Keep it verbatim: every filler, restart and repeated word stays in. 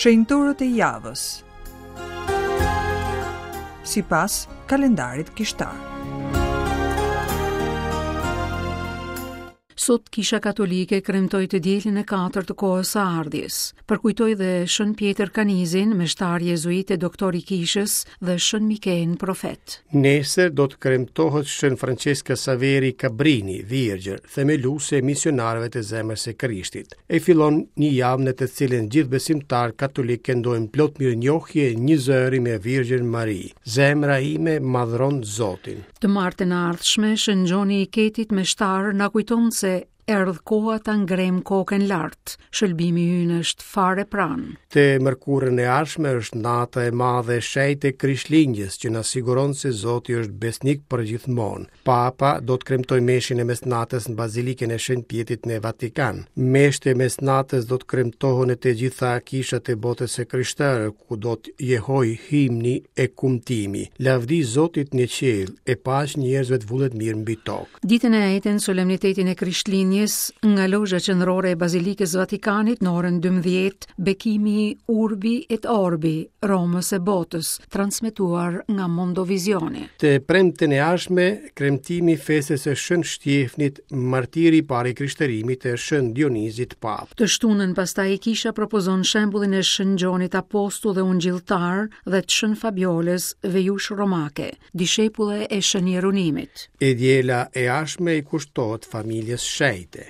Shenjtorët e javës sipas kalendarit kishtar. Sot Kisha Katolike kremtoi të dielën e katërt të kohës së ardhjes. Përkujtoi dhe Shën Pjetër Kanizin, meshtar jezuit e doktor i kishës, dhe Shën Mikenë profet. Nesër do të kremtohet Shën Francesca Saveri Cabrini, virgjër, themeluese e misionarëve të zemrës së Krishtit. E fillon një javë në të cilën gjithë besimtarët katolikë këndojnë plot mirënjohje një zëri me Virgjën Mari. Zemra ime madhron Zotin. Të martën e ardhshme, Shën Gjoni i Ketit meshtar na kujton se erdh koha ta ngrem kokën lart. Shëlbimi ynë është fare pranë. Të mërkurën e ardhshme është nata e madhe e shenjtë e Krishtlindjes që na siguron se Zoti është besnik për gjithmonë. Papa do të kremtojë meshën e mesnatës në Bazilikën e Shën Pjetrit në Vatikan. Meshët e mesnatës do të kremtohen në të gjitha kishat e botës së krishterë, ku do të jehojë himni e kumtimi. Lavdi Zotit në qiell e paqe njerëzve të vullnetmirë mbi tokë. Ditën e enjte, në solemnitetin e Krishtlindjes, nga lozha qendrore e Bazilikës Vatikanit në orën dymbëdhjetë, bekimi Urbi et Orbi, Romës e botës, transmetuar nga Mondovisione. Të premten e ardhshme, kremtimi i festës së Shën Shtjefnit, martiri i parë i krishterimit e Shën Dionizit Papë. Të shtunën pastaj kisha propozon shembullin e Shën Gjonit apostull dhe ungjilltar dhe të Shën Fabiolës, vejush romake, dishepulle e Shën Jeronimit. E diela e ardhshme i kushtohet familjes shenjte.